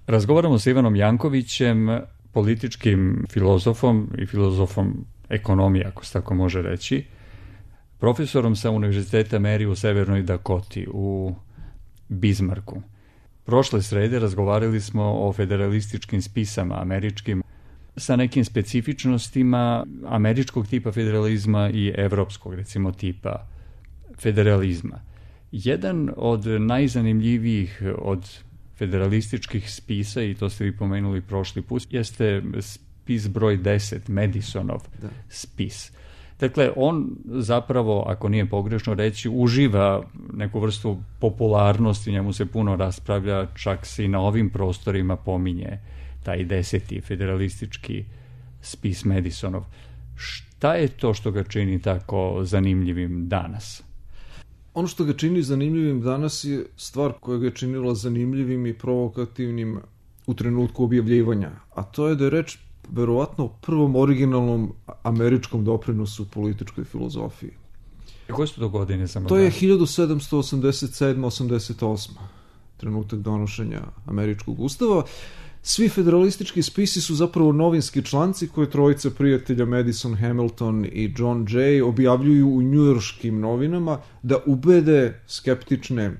Razgovaramo sa Ivanom Jankovićem, političkim filozofom i filozofom ekonomije, ako se tako može reći, profesorom sa Univerziteta Mary u Severnoj Dakoti u Bismarcku. Prošle srede razgovarali smo o federalističkim spisama američkim sa nekim specifičnostima američkog tipa federalizma i evropskog, recimo, tipa federalizma. Jedan od najzanimljivijih od federalističkih spisa, i to ste vi pomenuli prošli put, jeste spis broj 10, Madisonov spis. Dakle, on zapravo, ako nije pogrešno reći, uživa neku vrstu popularnosti, njemu se puno raspravlja, čak se i na ovim prostorima pominje taj 10. federalistički spis Madisonov. Šta je to što ga čini tako zanimljivim danas? Ono što ga čini zanimljivim danas je stvar koja ga je činila zanimljivim i provokativnim u trenutku objavljivanja, a to je da je reč verovatno o prvom originalnom američkom doprinosu političkoj filozofiji. Koje su to godine? To je 1787-88. trenutak donošenja američkog ustava. Svi federalistički spisi su zapravo novinski članci koje trojica prijatelja Madison, Hamilton i John Jay objavljuju u njujorškim novinama da ubede skeptične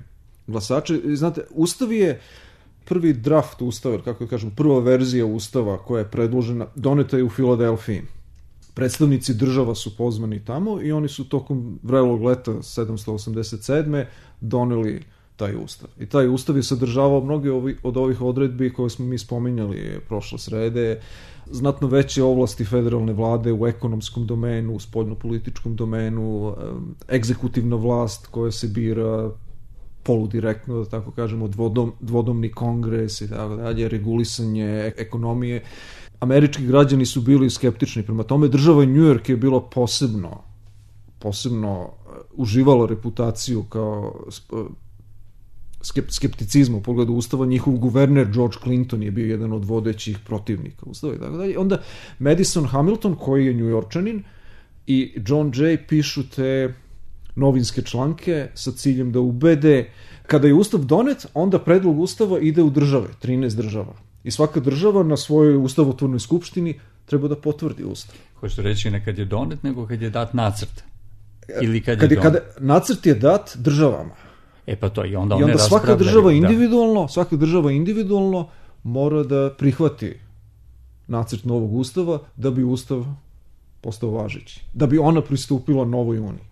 glasače. Znate, Ustav je prvi draft ustava, kako kažem, prva verzija ustava koja je predložena, doneta je u Filadelfiji. Predstavnici država su pozvani tamo i oni su tokom vrelog leta 787. doneli taj ustav. I taj ustav je sadržavao mnoge od ovih odredbi koje smo mi spominjali prošle srede, znatno veće ovlasti federalne vlade u ekonomskom domenu, u spoljnopolitičkom domenu, egzekutivna vlast koja se bira poludirektno, da tako kažemo, dvodomni kongres i tako dalje, regulisanje ekonomije. Američki građani su bili skeptični prema tome. Država New York je bila posebno uživala reputaciju kao skepticizma u pogledu ustava. Njihov guverner George Clinton je bio jedan od vodećih protivnika ustava i tako dalje. Onda Madison Hamilton, koji je Njujorčanin, i John Jay pišu te novinske članke sa ciljem da ubede. Kada je ustav donet, onda predlog ustava ide u države, 13 država. I svaka država na svojoj ustavotvornoj skupštini treba da potvrdi ustav. Hoćete reći ne kad je donet, nego kad je dat nacrt? Ili kad je donet? Nacrt je dat državama. Pa to i onda svaka država individualno mora da prihvati nacrt novog ustava da bi ustav postao važeći. Da bi ona pristupila novoj uniji.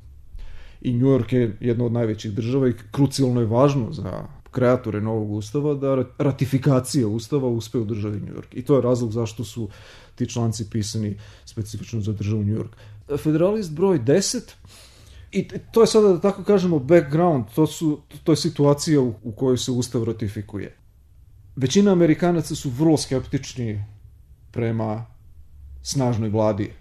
I New York je jedna od najvećih država i krucijalno je važno za kreatore novog ustava da ratifikacija ustava uspe u državi New York. I to je razlog zašto su ti članci pisani specifično za državu New York. Federalist broj 10, i to je sada, da tako kažemo, background, to je situacija u kojoj se ustav ratifikuje. Većina Amerikanaca su vrlo skeptični prema snažnoj vladi,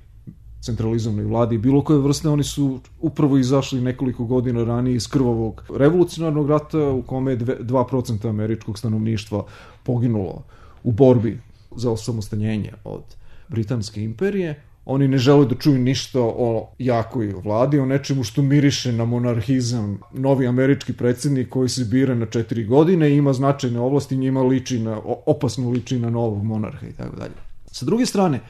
centralizovanoj vladi, bilo koje vrste. Oni su upravo izašli nekoliko godina ranije iz krvavog revolucionarnog rata u kome je 2% američkog stanovništva poginulo u borbi za osamostaljenje od Britanske imperije. Oni ne žele da čuju ništa o jakoj vladi, o nečemu što miriše na monarhizam. Novi američki predsjednik koji se bira na 4 godine ima značajne ovlasti, njima opasno liči na novog monarha i tako dalje. Sa druge strane,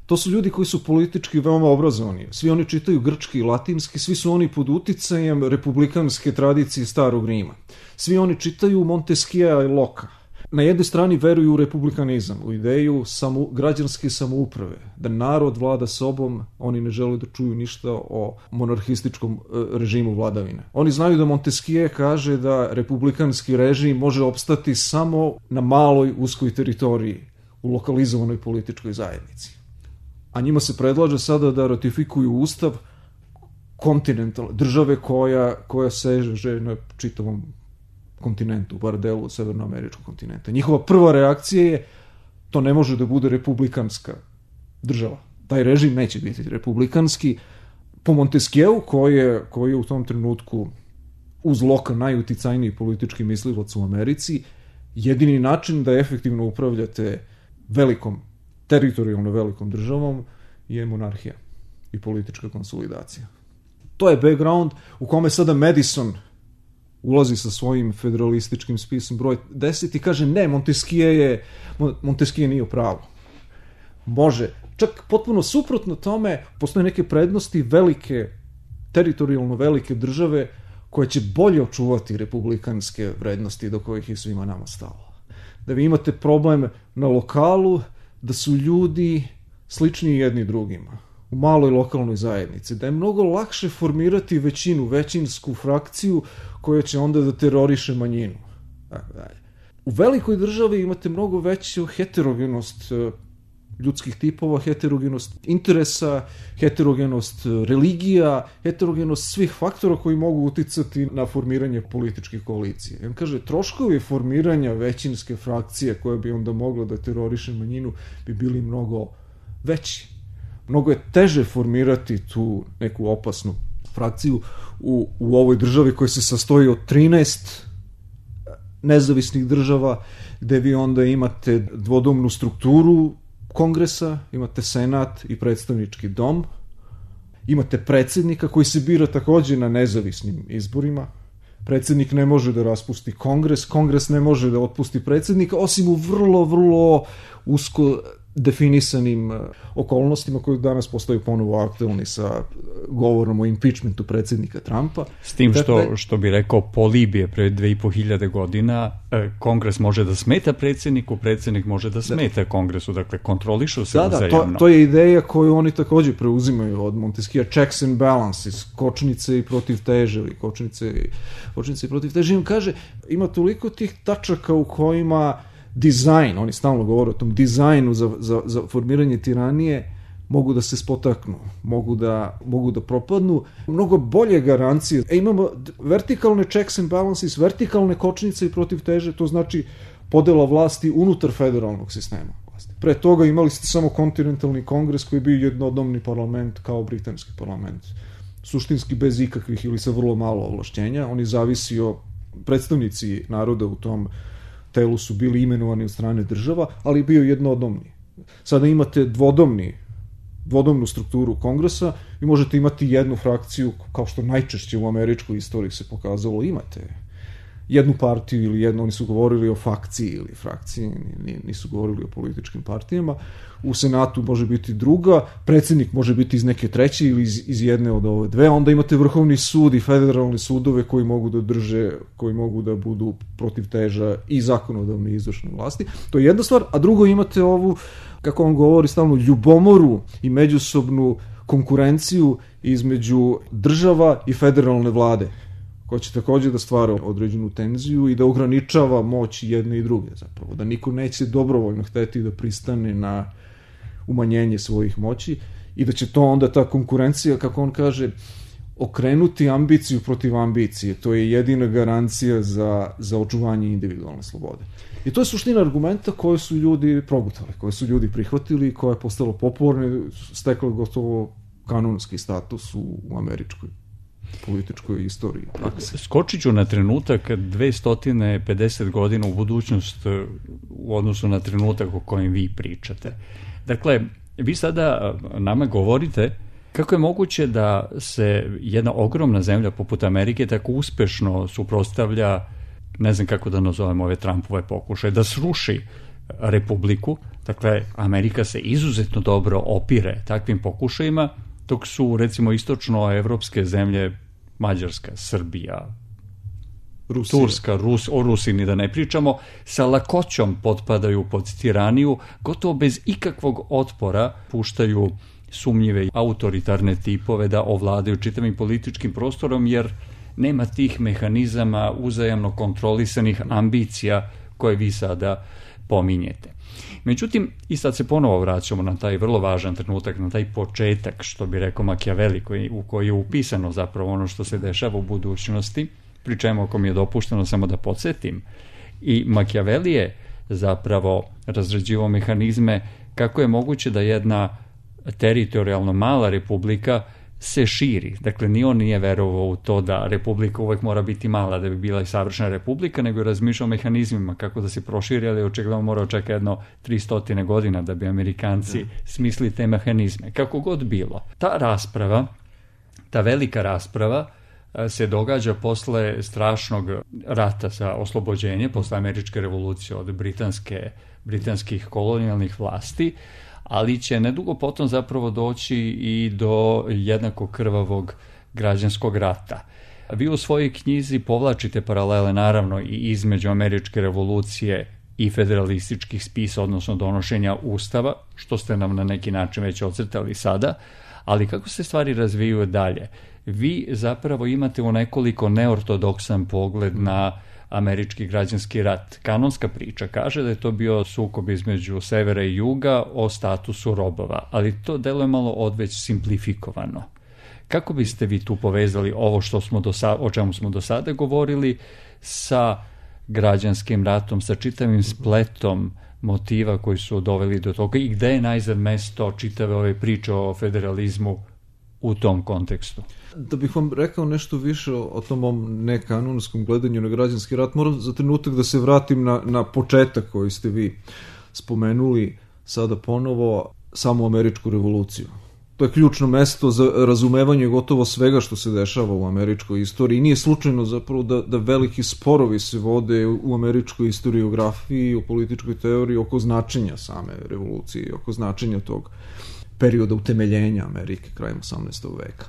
to su ljudi koji su politički veoma obrazovani. Svi oni čitaju grčki i latinski, svi su oni pod uticajem republikanske tradicije Starog Rima. Svi oni čitaju Montesquieu i Locke. Na jednoj strani veruju u republikanizam, u ideju građanske samouprave, da narod vlada sobom, oni ne žele da čuju ništa o monarhističkom režimu vladavine. Oni znaju da Montesquieu kaže da republikanski režim može opstati samo na maloj uskoj teritoriji, u lokalizovanoj političkoj zajednici. A njima se predlaže sada da ratifikuju ustav kontinentalne države koja seže na čitavom kontinentu, bar delu severnoameričkog kontinenta. Njihova prva reakcija je to ne može da bude republikanska država. Taj režim neće biti republikanski. Po Montesquieu, koji je u tom trenutku uz Locke najuticajniji politički mislilac u Americi, jedini način da efektivno upravljate teritorijalno velikom državom je monarhija i politička konsolidacija. To je background u kome sada Madison ulazi sa svojim federalističkim spisom broj 10 i kaže ne, Montesquieu nije u pravu. Može. Čak potpuno suprotno tome, postoje neke prednosti velike, teritorijalno velike države koje će bolje očuvati republikanske vrednosti do kojih je svima nama stalo. Da vi imate problem na lokalu, da su ljudi slični jedni drugima u maloj lokalnoj zajednici, da je mnogo lakše formirati većinsku frakciju koja će onda da teroriše manjinu. U velikoj državi imate mnogo veću heterogenost ljudskih tipova, heterogenost interesa, heterogenost religija, heterogenost svih faktora koji mogu uticati na formiranje političkih koalicija. I on kaže, troškovi formiranja većinske frakcije koja bi onda mogla da teroriše manjinu bi bili mnogo veći. Mnogo je teže formirati tu neku opasnu frakciju u ovoj državi koja se sastoji od 13 nezavisnih država, gde vi onda imate dvodomnu strukturu kongresa, imate senat i predstavnički dom, imate predsjednika koji se bira takođe na nezavisnim izborima, predsjednik ne može da raspusti kongres ne može da otpusti predsjednika, osim u vrlo, vrlo usko definisanim okolnostima koji danas postaju ponovo aktualni sa govorom o impeachmentu predsjednika Trumpa. S tim što bi rekao Polibije pre 2500 godina, kongres može da smeta predsjedniku, predsjednik može da smeta kongresu, dakle kontrolišu se uzajamno. To je ideja koju oni takođe preuzimaju od Montesquieu, checks and balances, kočnice i protiv teže, kočnice i protiv teže. Im kaže, ima toliko tih tačaka u kojima dizajn, oni stalno govore o tom dizajnu za formiranje tiranije, mogu da se spotaknu, mogu da propadnu. Mnogo bolje garancije. Imamo vertikalne checks and balances, vertikalne kočnice i protiv teže, to znači podela vlasti unutar federalnog sistema vlasti. Pre toga imali ste samo kontinentalni kongres koji je bio jednodomni parlament kao britanski parlament. Suštinski bez ikakvih ili sa vrlo malo ovlašćenja. Oni zavisio, predstavnici naroda u tom telu su bili imenovani od strane država, ali bio jednodomni. Sada imate dvodomnu strukturu kongresa i možete imati jednu frakciju, kao što najčešće u američkoj istoriji se pokazalo, imate jednu partiju ili jednu, oni su govorili o fakciji ili frakciji, nisu govorili o političkim partijama. U senatu može biti druga, predsjednik može biti iz neke treće ili iz jedne od ove dve, onda imate vrhovni sud i federalne sudove koji mogu da drže, koji mogu da budu protiv teža i zakonodavne i izvršne vlasti. To je jedna stvar, a drugo imate ovu, kako on govori stalno, ljubomoru i međusobnu konkurenciju između država i federalne vlade, koja će takođe da stvara određenu tenziju i da ograničava moć jedne i druge zapravo, da niko neće dobrovoljno hteti da pristane na umanjenje svojih moći i da će to onda ta konkurencija, kako on kaže, okrenuti ambiciju protiv ambicije. To je jedina garancija za očuvanje individualne slobode. I to je suština argumenta koje su ljudi progutali, koje su ljudi prihvatili i koje je postalo popularno, steklo gotovo kanonski status u američkoj političkoj istoriji praksi. Skočit ću na trenutak 250 godina u budućnost u odnosu na trenutak o kojem vi pričate. Dakle, vi sada nama govorite kako je moguće da se jedna ogromna zemlja poput Amerike tako uspešno suprotstavlja, ne znam kako da nazovemo ove Trumpove pokušaje, da sruši republiku. Dakle, Amerika se izuzetno dobro opire takvim pokušajima, dok su, recimo, istočnoevropske zemlje, Mađarska, Srbija, Rusija, Turska, o Rusiji ni da ne pričamo, sa lakoćom potpadaju pod tiraniju, gotovo bez ikakvog otpora puštaju sumnjive autoritarne tipove da ovladaju čitavim političkim prostorom, jer nema tih mehanizama uzajamno kontrolisanih ambicija koje vi sada pominjete. Međutim, i sad se ponovo vraćamo na taj vrlo važan trenutak, na taj početak, što bi rekao Machiavelli, u koji je upisano zapravo ono što se dešava u budućnosti, pri čemu, ako mi je dopušteno samo da podsjetim, i Machiavelli je zapravo razrađivao mehanizme kako je moguće da jedna teritorijalno mala republika se širi. Dakle, ni on nije verovao u to da republika uvek mora biti mala da bi bila i savršena republika, nego je razmišljao o mehanizmima kako da se proširi, ali očigledno mora očekati jedno 300 godina da bi Amerikanci smislili te mehanizme. Kako god bilo. Ta rasprava, ta velika rasprava se događa posle strašnog rata za oslobođenje, posle američke revolucije od britanskih kolonijalnih vlasti, ali će nedugo potom zapravo doći i do jednako krvavog građanskog rata. Vi u svojoj knjizi povlačite paralele naravno i između američke revolucije i federalističkih spisa, odnosno donošenja ustava, što ste nam na neki način već ocrtali sada, ali kako se stvari razvijaju dalje? Vi zapravo imate u nekoliko neortodoksan pogled na američki građanski rat. Kanonska priča kaže da je to bio sukob između severa i juga o statusu robova, ali to deluje malo odveć simplifikovano. Kako biste vi tu povezali ovo o čemu smo do sada govorili sa građanskim ratom, sa čitavim spletom motiva koji su doveli do toga i gde je najzad mesto čitave ove priče o federalizmu u tom kontekstu? Da bih vam rekao nešto više o tom mom nekanonskom gledanju na građanski rat, moram za trenutak da se vratim na početak koji ste vi spomenuli sada ponovo, samu američku revoluciju. To je ključno mesto za razumevanje gotovo svega što se dešava u američkoj istoriji. Nije slučajno zapravo da veliki sporovi se vode u američkoj historiografiji, u političkoj teoriji oko značenja same revolucije, oko značenja tog perioda utemeljenja Amerike krajem 18. veka.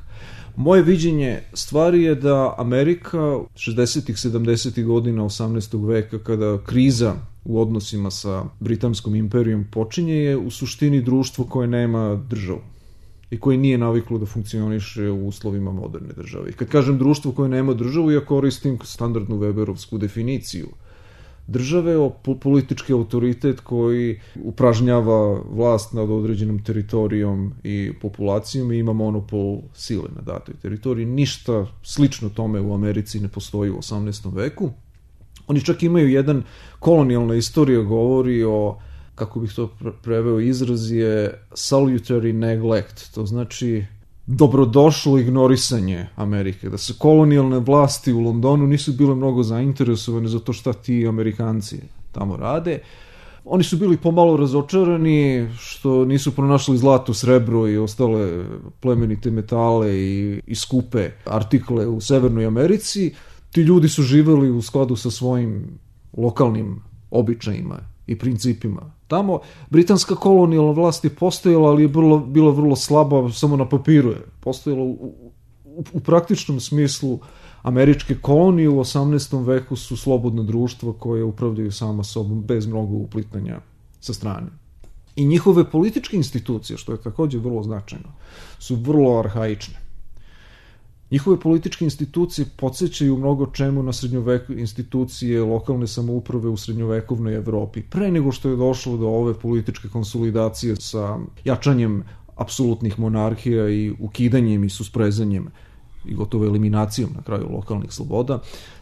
Moje viđenje stvari je da Amerika 60-ih, 70-ih godina 18. veka, kada kriza u odnosima sa Britanskom imperijom počinje, je u suštini društvo koje nema državu i koje nije naviklo da funkcioniše u uslovima moderne države. I kad kažem društvo koje nema državu, ja koristim standardnu Weberovsku definiciju države, politički autoritet koji upražnjava vlast nad određenom teritorijom i populacijom i ima monopol sile na datoj teritoriji. Ništa slično tome u Americi ne postoji u 18. veku. Oni čak imaju jedan, kolonijalna istorija govori o, kako bih to preveo, izraz je salutary neglect, to znači dobrodošlo ignorisanje Amerike, da se kolonijalne vlasti u Londonu nisu bile mnogo zainteresovane za to šta ti Amerikanci tamo rade. Oni su bili pomalo razočarani što nisu pronašli zlato, srebro i ostale plemenite metale i skupe artikle u Severnoj Americi. Ti ljudi su živeli u skladu sa svojim lokalnim običajima i principima. Tamo britanska kolonijalna vlast je postojala, ali je bila vrlo slaba, samo na papiru je postojala. U praktičnom smislu američke kolonije u 18. veku su slobodna društva koje upravljaju sama sobom bez mnogo uplitanja sa strane. I njihove političke institucije, što je također vrlo značajno, su vrlo arhaične. Njihove političke institucije podsjećaju mnogo čemu na institucije lokalne samouprave u srednjovekovnoj Evropi, pre nego što je došlo do ove političke konsolidacije sa jačanjem apsolutnih monarhija i ukidanjem i susprezanjem i gotovo eliminacijom na kraju lokalnih sloboda,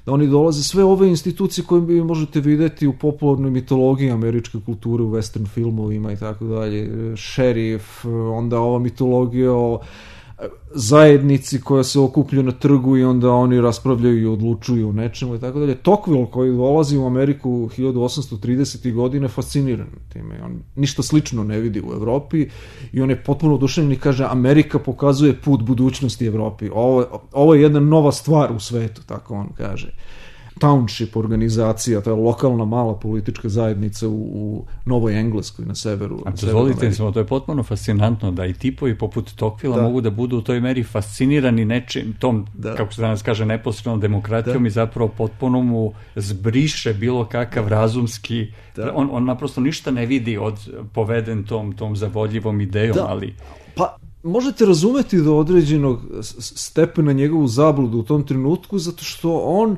da oni dolaze sve ove institucije koje vi možete videti u popularnoj mitologiji američke kulture, u western filmovima i tako dalje, šerif, onda ova mitologija o zajednici koja se okuplja na trgu i onda oni raspravljaju i odlučuju o nečemu i tako dalje. Tocqueville koji dolazi u Ameriku 1830. godine fasciniran time. On ništa slično ne vidi u Evropi i on je potpuno oduševljen i kaže Amerika pokazuje put budućnosti Evropi. Ovo je jedna nova stvar u svetu, tako on kaže. Township organizacija, ta lokalna mala politička zajednica u Novoj Engleskoj na severu. A dozvolite mi, to je potpuno fascinantno da i tipovi poput Tocquevillea mogu da budu u toj meri fascinirani nečim, tom, kako se danas kaže, neposrednom demokratijom i zapravo potpuno mu zbriše bilo kakav razumski, on naprosto ništa ne vidi poveden tom zavodljivom idejom, ali... Pa, možete razumeti do određenog stepena njegovu zabludu u tom trenutku, zato što on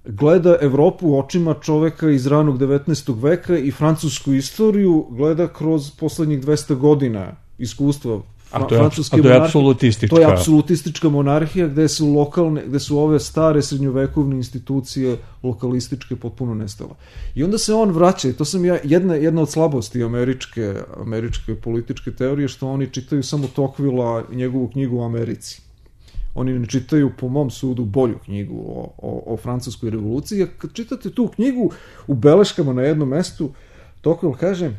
gleda Evropu očima čoveka iz ranog 19. veka i francusku istoriju gleda kroz poslednjih 200 godina iskustva francuske monarhije. Apsolutistička. To je apsolutistička monarhija gde su ove stare srednjovekovne institucije lokalističke potpuno nestale. I onda se on vraća, i to sam jedna od slabosti američke političke teorije, što oni čitaju samo Tocquevillea i njegovu knjigu o Americi. Oni ne čitaju, po mom sudu, bolju knjigu o francuskoj revoluciji. A kad čitate tu knjigu, u beleškama na jednom mestu, Tocqueville kaže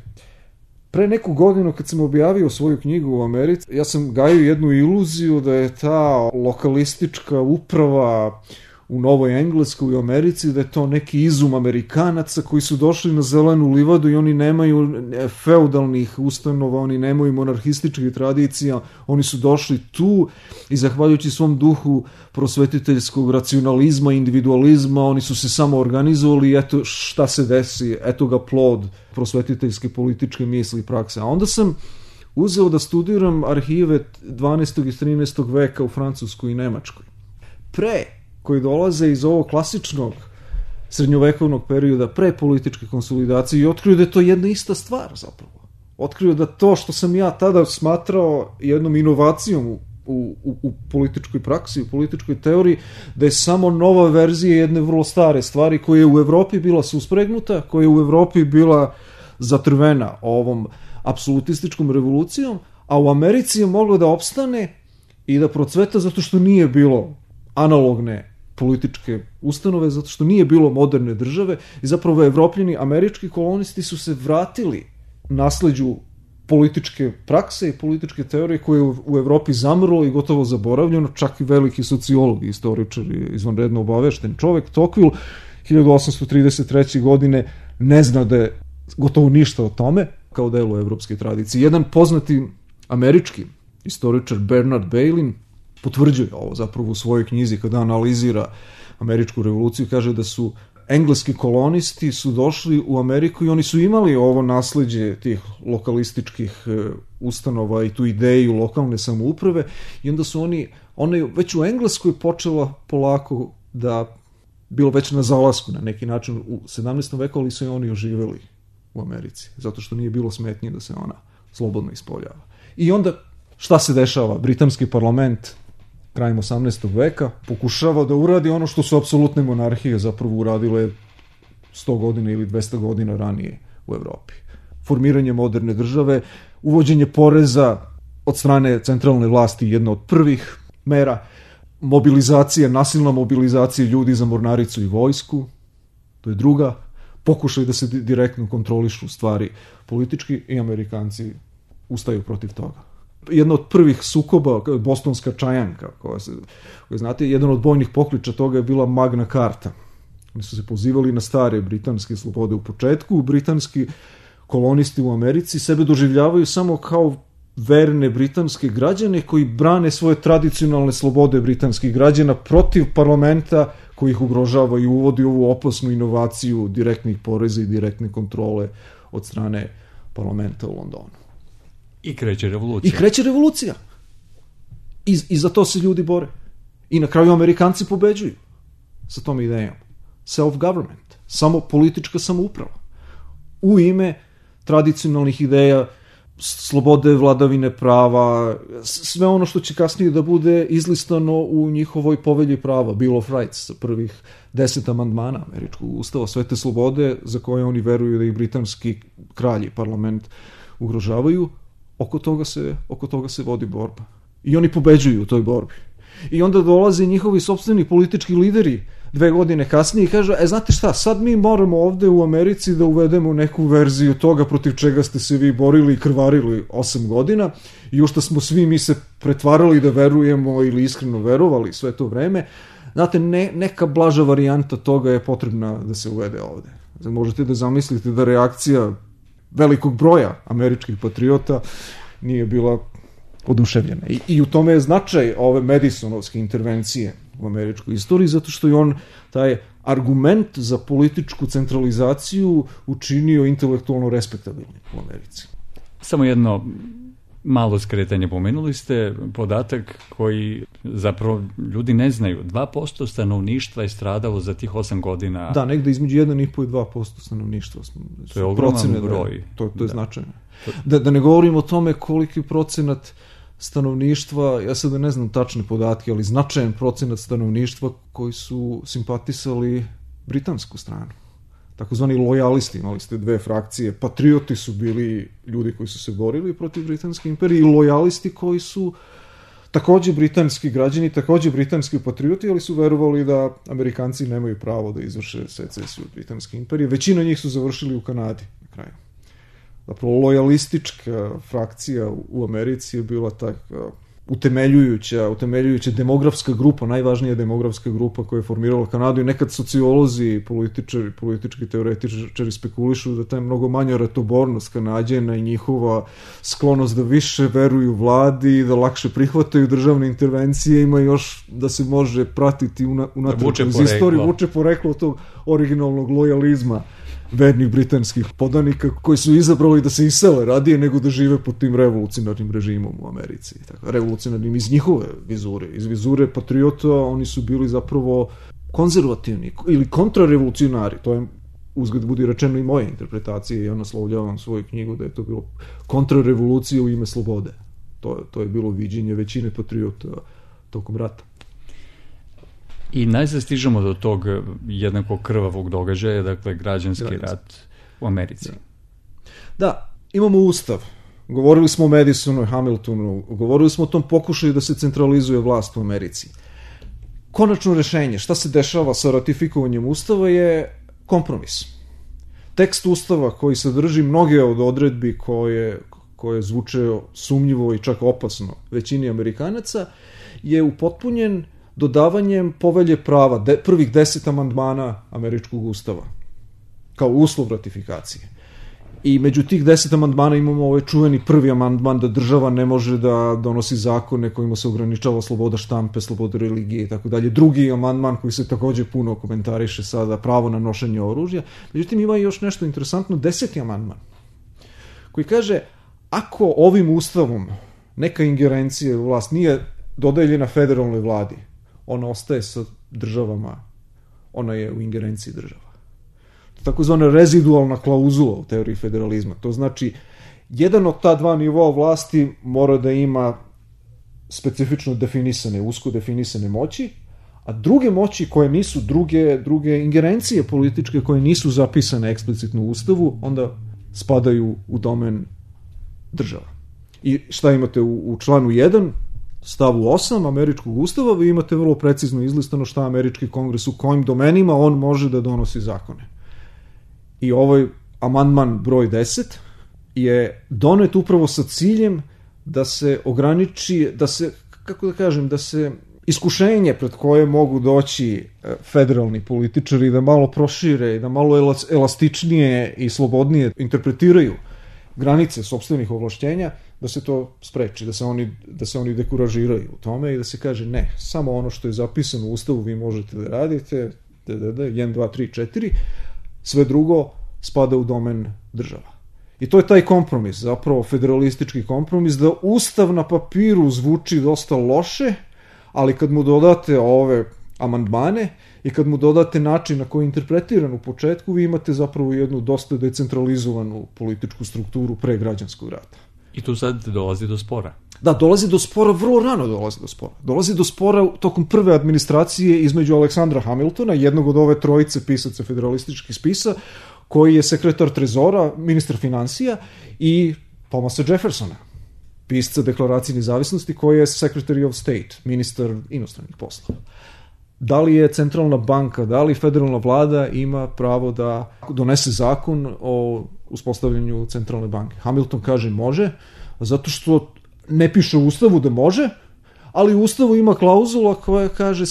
Pre neku godinu kad sam objavio svoju knjigu u Americi, ja sam gajio jednu iluziju da je ta lokalistička uprava u Novoj Engleskoj i u Americi, da je to neki izum Amerikanaca koji su došli na zelenu livadu i oni nemaju feudalnih ustanova, oni nemaju monarhističkih tradicija, oni su došli tu i zahvaljujući svom duhu prosvetiteljskog racionalizma, individualizma, oni su se samo organizovali i eto šta se desi, eto ga plod prosvetiteljske političke misli i prakse. A onda sam uzeo da studiram arhive 12. i 13. veka u Francuskoj i Nemačkoj. Koji dolaze iz ovog klasičnog srednjovekovnog perioda pre političke konsolidacije i otkrio da je to jedna ista stvar zapravo. Otkrio da to što sam ja tada smatrao jednom inovacijom u političkoj praksi, u političkoj teoriji, da je samo nova verzija jedne vrlo stare stvari koja je u Evropi bila suspregnuta, koja je u Evropi bila zatrvena ovom apsolutističkom revolucijom, a u Americi je moglo da opstane i da procveta zato što nije bilo analogne političke ustanove, zato što nije bilo moderne države i zapravo Evropljani, američki kolonisti su se vratili nasleđu političke prakse i političke teorije koje je u Evropi zamrlo i gotovo zaboravljeno, čak i veliki sociolog, istoričar i izvanredno obavešten čovek, Tocqueville, 1833. godine ne zna da je gotovo ništa o tome kao delu evropske tradicije. Jedan poznati američki istoričar Bernard Bailyn potvrđuje ovo zapravo u svojoj knjizi kada analizira američku revoluciju, kaže da su engleski kolonisti su došli u Ameriku i oni su imali ovo nasleđe tih lokalističkih ustanova i tu ideju lokalne samouprave i onda su ona već u Engleskoj počela polako da bilo već na zalasku na neki način u 17. veku, ali su i oni oživeli u Americi, zato što nije bilo smetnje da se ona slobodno ispoljava. I onda šta se dešava? Britanski parlament krajem 18. veka pokušava da uradi ono što su apsolutne monarhije zapravo uradile 100 godina ili 200 godina ranije u Evropi. Formiranje moderne države, uvođenje poreza od strane centralne vlasti, jedna od prvih mera, mobilizacija, nasilna mobilizacija ljudi za mornaricu i vojsku, to je druga, pokušaj da se direktno kontrolišu stvari politički i Amerikanci ustaju protiv toga. Jedna od prvih sukoba, Bostonska čajanka, koja znate, jedan od bojnih pokliča toga je bila Magna Carta. Oni su se pozivali na stare britanske slobode u početku. Britanski kolonisti u Americi sebe doživljavaju samo kao verne britanske građane koji brane svoje tradicionalne slobode britanskih građana protiv parlamenta koji ih ugrožava i uvodi ovu opasnu inovaciju direktnih poreza i direktne kontrole od strane parlamenta u Londonu. I kreće revolucija. I za to se ljudi bore. I na kraju Amerikanci pobeđuju sa tom idejom. Self-government. Samo politička samouprava. U ime tradicionalnih ideja, slobode, vladavine prava, sve ono što će kasnije da bude izlistano u njihovoj povelji prava, Bill of Rights, sa prvih 10 amandmana američkog ustava, sve te slobode za koje oni veruju da i britanski kralj i parlament ugrožavaju. Oko toga se vodi borba. I oni pobeđuju u toj borbi. I onda dolaze njihovi sopstveni politički lideri 2 godine kasnije i kažu, znate šta, sad mi moramo ovde u Americi da uvedemo neku verziju toga protiv čega ste se vi borili i krvarili 8 godina i u što smo svi mi se pretvarali da verujemo ili iskreno verovali sve to vreme. Znate, neka blaža varijanta toga je potrebna da se uvede ovde. Znači, možete da zamislite da reakcija velikog broja američkih patriota nije bila oduševljena. I u tome je značaj ove Madisonovske intervencije u američkoj istoriji, zato što je on taj argument za političku centralizaciju učinio intelektualno respektabilnim u Americi. Samo jedno malo skretanje. Pomenuli ste podatak koji zapravo ljudi ne znaju. 2% stanovništva je stradalo za tih 8 godina. Da, negde između 1,5 i 2% stanovništva. To je ogroman broj. To je značajno. Da ne govorim o tome koliki procenat stanovništva, ja sad ne znam tačne podatke, ali značajan procenat stanovništva koji su simpatisali britansku stranu. Takozvani lojalisti, imali ste 2 frakcije. Patrioti su bili ljudi koji su se borili protiv Britanske imperije i lojalisti koji su takođe britanski građani, takođe britanski patrioti, ali su verovali da Amerikanci nemaju pravo da izvrše secesiju od Britanske imperije. Većina njih su završili u Kanadi na kraju. zapravo lojalistička frakcija u Americi je bila tako utemeljujuća demografska grupa, najvažnija demografska grupa koja je formirala Kanadu, i nekad sociolozi, politički teoretičari spekulišu da ta mnogo manja ratobornost Kanađana i njihova sklonost da više veruju vladi, da lakše prihvataju državne intervencije, ima još da se može pratiti unatrag iz istorije, vuče poreklo tog originalnog lojalizma vernih britanskih podanika koji su izabrali da se isele radije nego da žive pod tim revolucionarnim režimom u Americi. Tako, revolucionarnim iz njihove vizure. Iz vizure patriota oni su bili zapravo konzervativni ili kontrarevolucionari. To je, uzgled budi rečeno, i moje interpretacije. Ja naslovljavam svoju knjigu da je to bilo kontrarevolucija u ime slobode. To je bilo viđenje većine patriota tokom rata. I najzad stižemo do tog jednako krvavog događaja, dakle građanski rat u Americi. Da, imamo ustav. Govorili smo o Madisonu i Hamiltonu, govorili smo o tom pokušaju da se centralizuje vlast u Americi. Konačno rešenje, šta se dešava sa ratifikovanjem ustava, je kompromis. Tekst ustava koji sadrži mnoge od odredbi koje zvuče sumnjivo i čak opasno većini Amerikanaca, je upotpunjen dodavanjem povelje prava, prvih 10 amandmana američkog ustava, kao uslov ratifikacije. I među tih 10 amandmana imamo ovaj čuveni prvi amandman da država ne može da donosi zakone kojima se ograničava sloboda štampe, sloboda religije i tako dalje. Drugi amandman koji se takođe puno komentariše sada, pravo na nošenje oružja. Međutim, ima još nešto interesantno, 10. amandman, koji kaže, ako ovim ustavom neka ingerencija u vlast nije dodeljena federalnoj vladi, ona ostaje sa državama, ona je u ingerenciji država. Takozvana rezidualna klauzula u teoriji federalizma. To znači, jedan od ta dva nivoa vlasti mora da ima specifično definisane, usko definisane moći, a druge moći koje nisu, druge ingerencije političke koje nisu zapisane eksplicitno u ustavu, onda spadaju u domen država. I šta imate u članu 1, stavu 8 američkog ustava, vi imate vrlo precizno izlistano šta američki kongres u kojim domenima on može da donosi zakone. I ovaj amandman broj 10 je donet upravo sa ciljem da se ograniči, da se, kako da kažem, da se iskušenje pred koje mogu doći federalni političari da malo prošire i da malo elastičnije i slobodnije interpretiraju granice sopstvenih ovlašćenja, da se to spreči, da se oni dekuražiraju u tome i da se kaže ne, samo ono što je zapisano u ustavu vi možete da radite, 1, 2, 3, 4, sve drugo spada u domen država. I to je taj kompromis, zapravo federalistički kompromis, da ustav na papiru zvuči dosta loše, ali kad mu dodate ove amandmane i kad mu dodate način na koji je interpretiran u početku, vi imate zapravo jednu dosta decentralizovanu političku strukturu pre građanskog rata. I tu sad dolazi do spora. Da, dolazi do spora, vrlo rano dolazi do spora. Dolazi do spora tokom prve administracije između Aleksandra Hamiltona, jednog od ove trojice pisaca federalističkih spisa, koji je sekretar trezora, ministar finansija, i Thomasa Jeffersona, pisca Deklaracije nezavisnosti, koji je Secretary of State, ministar inostranih poslova. Da li je centralna banka, da li federalna vlada ima pravo da donese zakon o uspostavljanju centralne banke? Hamilton kaže može, zato što ne piše u ustavu da može, ali u ustavu ima klauzula koja kaže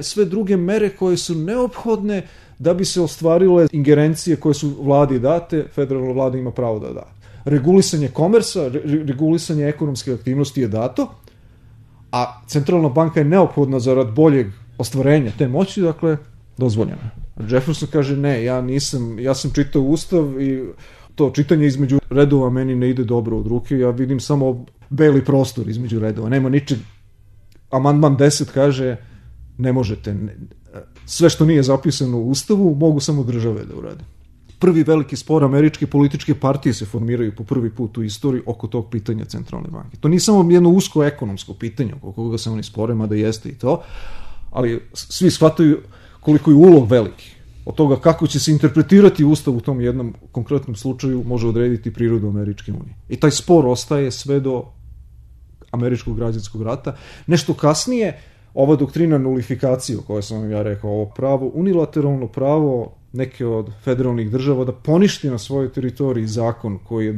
sve druge mere koje su neophodne da bi se ostvarile ingerencije koje su vladi date, federalna vlada ima pravo da da. Regulisanje komersa, regulisanje ekonomske aktivnosti je dato, a centralna banka je neophodna zarad boljeg ostvarenja te moći, dakle, dozvoljeno. Jefferson kaže ne, ja sam čitao ustav i to čitanje između redova meni ne ide dobro od ruke, ja vidim samo beli prostor između redova, nema ničeg. Amandman 10 kaže ne možete, sve što nije zapisano u ustavu mogu samo države da urade. Prvi veliki spor, američke političke partije se formiraju po prvi put u istoriji oko tog pitanja centralne banke. To nije samo jedno usko ekonomsko pitanje oko koga se oni spore, mada jeste i to, ali svi shvataju koliko je ulog veliki. Od toga kako će se interpretirati ustav u tom jednom konkretnom slučaju može odrediti prirodu Američke unije. I taj spor ostaje sve do američkog građanskog rata. Nešto kasnije, ova doktrina nulifikacije o kojoj sam vam ja rekao, ovo pravo, unilateralno pravo neke od federalnih država da poništi na svojoj teritoriji zakon koji je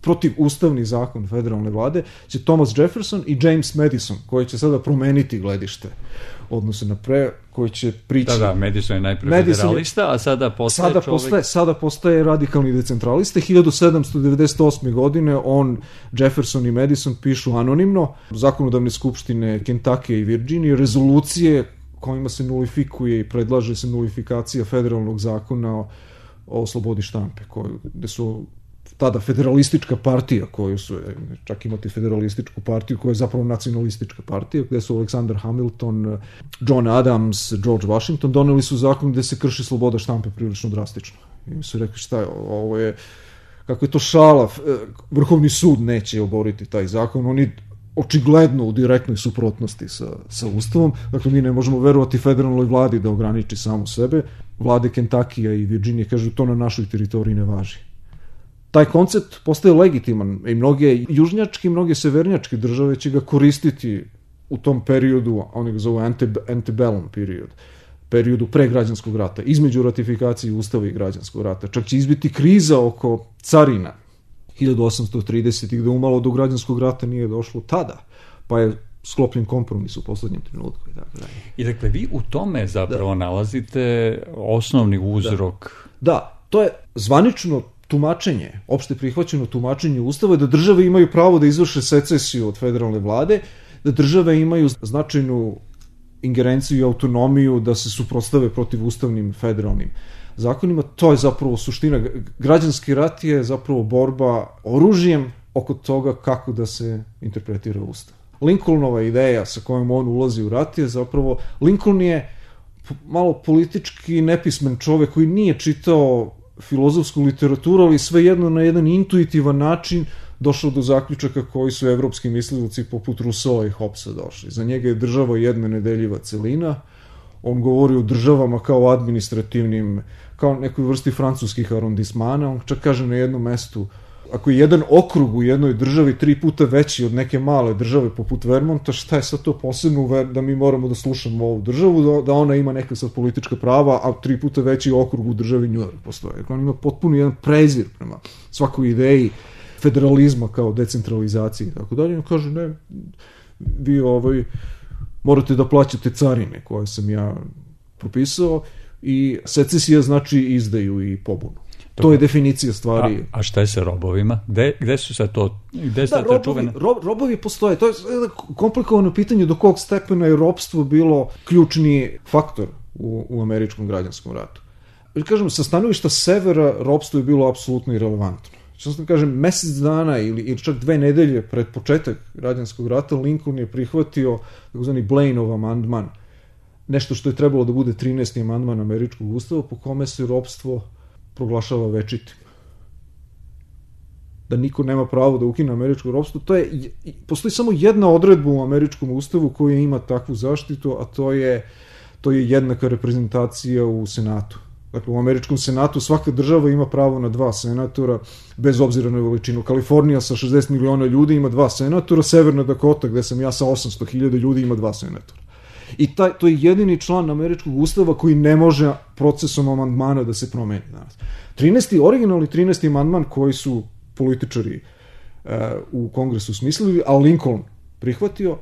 protivustavni zakon federalne vlade, će Thomas Jefferson i James Madison, koji će sada promeniti gledište odnose na koji će prići... Da, Madison je najprije federalista, a sada postaje Sada postaje radikalni decentralista. 1798. godine Jefferson i Madison pišu anonimno zakonodavne skupštine Kentucky i Virginije rezolucije kojima se nulifikuje i predlaže se nulifikacija federalnog zakona o slobodi štampe, gde su tada federalistička partija, koju su, čak imati federalističku partiju koja je zapravo nacionalistička partija, gde su Alexander Hamilton, John Adams, George Washington doneli su zakon gde se krši sloboda štampe prilično drastično. I su rekli šta je, ovo je, kako je to šala, Vrhovni sud neće oboriti taj zakon, oni očigledno u direktnoj suprotnosti sa Ustavom, dakle mi ne možemo verovati federalnoj vladi da ograniči samu sebe, vlade Kentakija i Virginije kažu to na našoj teritoriji ne važi. Taj koncept postaje legitiman i mnoge južnjačke i mnoge severnjačke države će ga koristiti u tom periodu, oni ga zovu antebellum periodu pre građanskog rata, između ratifikacije Ustava i građanskog rata. Čak će izbiti kriza oko carina 1830. gde umalo do građanskog rata nije došlo tada, pa je sklopljen kompromis u poslednjem trenutku. I dakle, vi u tome zapravo nalazite osnovni uzrok. Da, to je zvanično tumačenje, opšte prihvaćeno tumačenje Ustava, da države imaju pravo da izvrše secesiju od federalne vlade, da države imaju značajnu ingerenciju i autonomiju da se suprotstave protiv ustavnim federalnim zakonima. To je zapravo suština. Građanski rat je zapravo borba oružjem oko toga kako da se interpretira Ustav. Lincolnova ideja sa kojom on ulazi u rat je zapravo, Lincoln je malo politički nepismen čovek koji nije čitao filozofsku literaturu, ali svejedno na jedan intuitivan način došao do zaključaka koji su evropski mislioci poput Rousseau i Hobbesa došli. Za njega je država jedna nedeljiva celina. On govori o državama kao administrativnim, kao nekoj vrsti francuskih arondismana. On čak kaže na jednom mestu, ako je jedan okrug u jednoj državi 3 puta veći od neke male države poput Vermonta, šta je sad to posebno da mi moramo da slušamo ovu državu, da ona ima neka sad politička prava, a 3 puta veći okrug u državi New York postoje. On ima potpuno jedan prezir prema svakoj ideji federalizma kao decentralizaciji i tako dalje. On kaže, ne, vi morate da plaćate carine koje sam ja propisao i secesija znači izdaju i pobunu. To je definicija stvari. A šta je sa robovima? Gde su sad to? Robovi postoje. To je komplikovano pitanje do kog stepena je ropstvo bilo ključni faktor u američkom građanskom ratu. Kažem, sa stanovišta severa ropstvo je bilo apsolutno irelevantno. Što sam kažem, mesec dana ili čak 2 nedelje pred početak građanskog rata Lincoln je prihvatio takozvani Blaineov amandman, nešto što je trebalo da bude 13. amandman američkog ustava po kome se ropstvo proglašava večitim. Da niko nema pravo da ukine američko ropstvo. Postoji samo jedna odredba u američkom ustavu koja ima takvu zaštitu, a to je jednaka reprezentacija u Senatu. Dakle, u američkom senatu svaka država ima pravo na 2 senatora, bez obzira na veličinu. Kalifornija sa 60 miliona ljudi ima 2 senatora, Severna Dakota, gde sam ja sa 800.000 ljudi, ima 2 senatora. I to je jedini član američkog ustava koji ne može procesom amandmana da se promeni danas. Originalni 13. amandman koji su političari u kongresu smislili, a Lincoln prihvatio,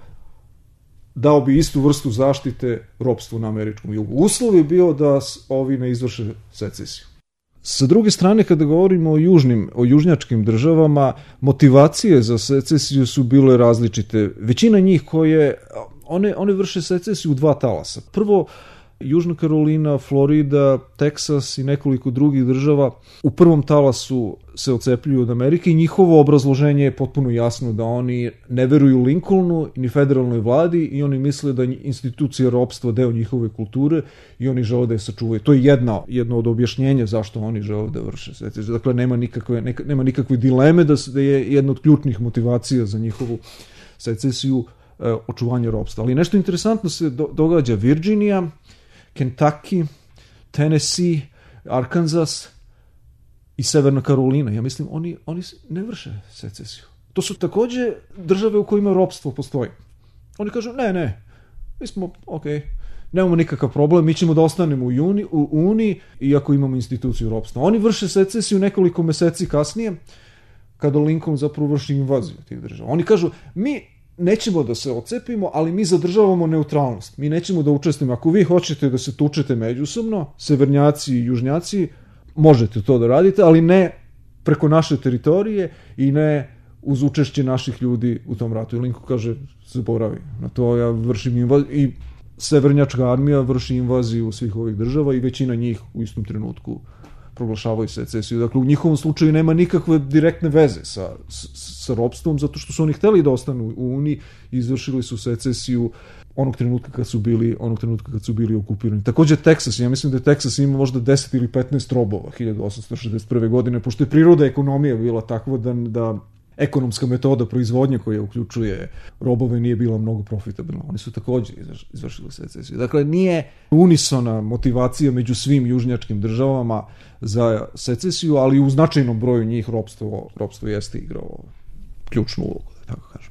dao bi istu vrstu zaštite ropstvu na američkom jugu. Uslov je bio da ovi ne izvrše secesiju. Sa druge strane, kada govorimo o južnjačkim državama, motivacije za secesiju su bile različite. Većina njih one vrše secesiju u 2 talasa. Prvo, Južna Karolina, Florida, Teksas i nekoliko drugih država u prvom talasu se odcepljuju od Amerike i njihovo obrazloženje je potpuno jasno da oni ne veruju Lincolnu ni federalnoj vladi i oni misle da institucija ropstva deo njihove kulture i oni žele da je sačuvaju. To je jedno od objašnjenja zašto oni žele da vrše secesiju. Dakle, nema nikakve dileme da je jedna od ključnih motivacija za njihovu secesiju očuvanje ropstva. Ali nešto interesantno se događa. Virginija, Kentucky, Tennessee, Arkansas i Severna Karolina. Ja mislim, oni ne vrše secesiju. To su takođe države u kojima ropstvo postoji. Oni kažu, ne, mi smo, nemamo nikakav problem, mi ćemo da ostanemo u Uniji, iako imamo instituciju ropstva. Oni vrše secesiju nekoliko meseci kasnije, kada Lincoln zapravo vrši invaziju tih država. Oni kažu, mi nećemo da se ocepimo, ali mi zadržavamo neutralnost. Mi nećemo da učestvujemo. Ako vi hoćete da se tučete međusobno, severnjaci i južnjaci, možete to da radite, ali ne preko naše teritorije i ne uz učešće naših ljudi u tom ratu. I Lincoln kaže, zaboravi na to, ja vršim invaziju i severnjačka armija vrši invaziju svih ovih država i većina njih u istom trenutku proglašavaju secesiju. Dakle, u njihovom slučaju nema nikakve direktne veze sa ropstvom, zato što su oni hteli da ostanu u Uniji i izvršili su secesiju onog trenutka kad su bili okupirani. Takođe Teksas, ja mislim da je Teksas ima možda 10 ili 15 robova 1861. godine, pošto je priroda ekonomija bila takva da ekonomska metoda proizvodnje koja uključuje robove nije bila mnogo profitabilna. Oni su takođe izvršili secesiju. Dakle, nije unisona motivacija među svim južnjačkim državama za secesiju, ali u značajnom broju njih ropstvo jeste igrao ključnu ulogu, da tako kažem.